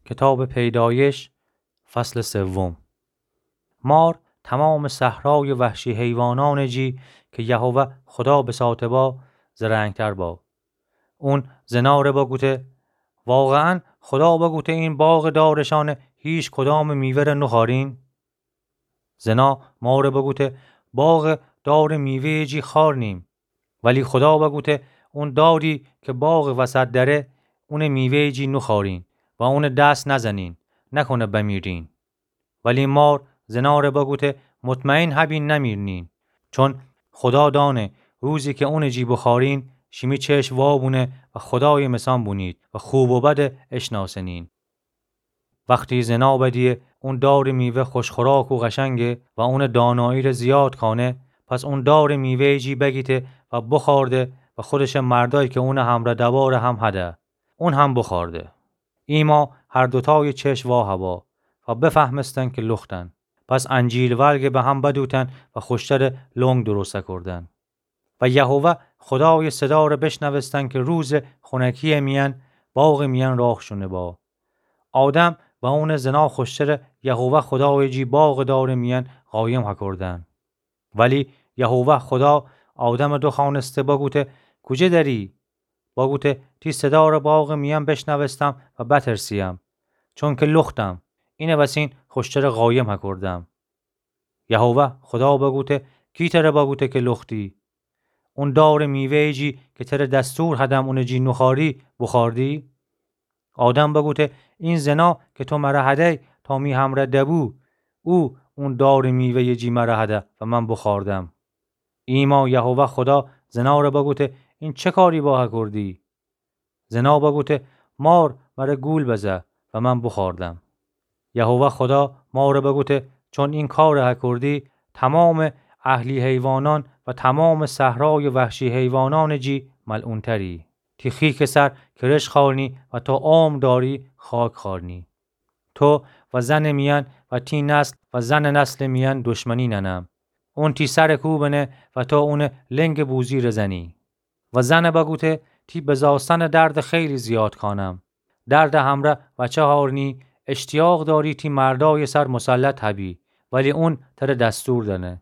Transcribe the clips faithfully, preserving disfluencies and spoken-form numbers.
کتابٚ پیدایش، فصلٚ سوم. مار تمامٚ صحرایٚ وحشی حیوانانٚ جی کی یهوه خودا بساته با، زرنگتر با. اون زناره بگوته: واقعاً خودا بگوته این باغٚ دارشانٚ هیچ کدامٚ میوه‌ره نوخوارین؟ زنا ماره بگوته: باغٚ دارٚ میوه‌یٚ جی خوارنیم. ولی خودا بگوته: اون داری کی باغٚ وسط دره، اونٚ میوه‌یٚ جی نوخوارین و اونٚ دس نزنین، نکنه بمیرین. ولی مار زناره بگوته: مطمئن هبین نمیرنین، چون خودا دانه روزی کی اونٚ جی بوخوارین، شیمی چشم وا بونه و خودایٚ مثان بونید و خوب و بده اشناسنین. وختی زنا بدیه اون دارٚ میوه خوش‌خوراک و قشنگه و اونٚ دانایی‌ره زیاد کانه، پس اون دارٚ میوه‌یٚ جی بگیته و بوخوارده و خودشٚ مردای کی اونٚ همرأ دواره هم هده. اون هم بوخوارده. ایما هر دوتایٚ چشم وا هوا و بفهمستن کی لختن. پس انجیل ورگه به هم بدوتن و خوشترٚ لنگ درست کوردن. و یهوه خودایٚ صداره بشنوستن کی روزٚ خونکی‌یٚ میأن باغٚ میأن راه شونه با. آدم و اونٚ زنا خوشتره یهوه خودایٚ جی باغٚ دارٚ میأن قایم هکردن. ولی یهوه خودا آدمٚ دوخوأنسته بگوته: کوجه دری؟ بگوته: تی صداره باغٚ میأن بشنوستم و بترسیم، چونکی لختم. اینٚ وسین خوشتره قایم هکردم. یهوه خودا بگوته: کی تره بگوته کی لختی؟ اون دارٚ میوه‌یٚ جی کی تره دستور هدم اونٚ جی نوخواری، بوخوردی؟ آدم بگوته: این زنا کی تو مره هدی تا می همرأ دبو، او اون دارٚ میوه‌یٚ جی مره هده و من بوخوردم. ایما یهوه خودا زناره بگوته: این چه کاری با هکردی؟ زنا بگوته: مار مره گول بزه و من بوخوردم. یهوه خودا ماره بگوته: چون این کاره هکردی، تمامٚ اهلی حیوانان و تمامٚ صحرایٚ وحشی حیوانانٚ جی ملعون‌تری. تی خیکٚ سر کرشک خوأرنی و تا عمر داری خاک خوأرنی. تو و زنٚ میأن و تی نسل و زنٚ نسلٚ میأن دشمنی ننم. اون تی سره کوبنه و تو اونٚ لنگٚ بوزی‌ره زنی. و زنه بگوته: تی بزاستنٚ درد خیلی زیاد کانم. درد همرأ وچه هارنی، اشتیاق داری تی مردایٚ سر مسلط هبی، ولی اون تره دستور دنه.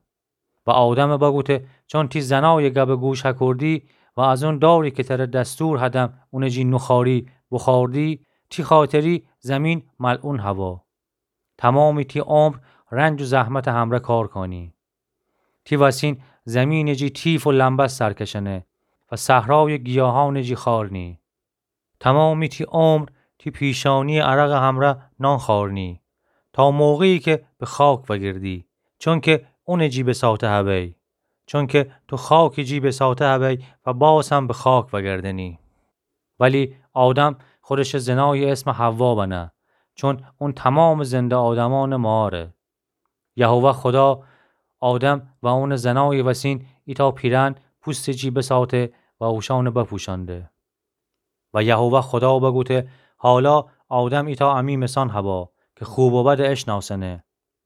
و آدمه بگوته: چون تی زنایٚ گبٚ گوش هکردی و از اون داری کی تره دستور هدم اونٚ جی نوخواری، بوخوردی، تی خاطری زمین ملعون هوا. تمامٚ تی عمر رنج و زحمتٚ همرأ کار کانی. تی وسین زمینٚ جی تیف و لمبست سر کشنه و صحرایٚ گیاهانٚ جی خوأرنی. تمامٚ تی عمر تی پیشانی‌یٚ عرقٚ همرأ نان خوأرنی، تا موقعی کی به خاک وأگردی، چونکی اونٚ جی بساطه هبی. چونکی تو خاکٚ جی بساطه هبی و باز هم به خاک وأگردنی. ولی آدم خودشٚ زنایٚ اسم حوا بنه، چون اون تمامٚ زنده آدمأنٚ ماره. یهوه خودا آدم و اونٚ زنایٚ وسین ایتأ پیرهن پوستٚ جی بساطه و اوشأنٚ بپوشأنده. و یهوه خودا بگوته: حالا آدم ایتأ امی مثان هبا کی خوب و بد اشناسنه.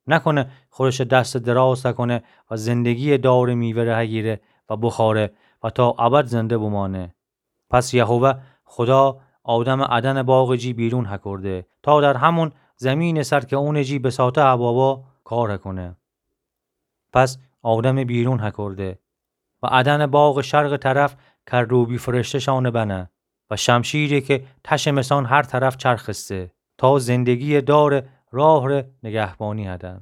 نکنه خودشٚ دستٚ دراز تکونه و زندگی‌یٚ دارٚ میوه‌ره هگیره و بوخوره و تا ابد زنده بومانه. پس یهوه خودا آدمٚ ادنٚ باغٚ جی بیرون هکرده، تا در همون زمینٚ سر کی اونٚ جی بساطه هبا با کار هکونه. پس آدمٚ بیرون هکرده و ادنٚ باغٚ شرقٚ طرف کروبی فرشته‌شانٚ بنه و شمشیری کی تشٚ مثان هر طرف چرخسته، تا زندگی‌یٚ دارٚ راهٚ نگهبانی هدن.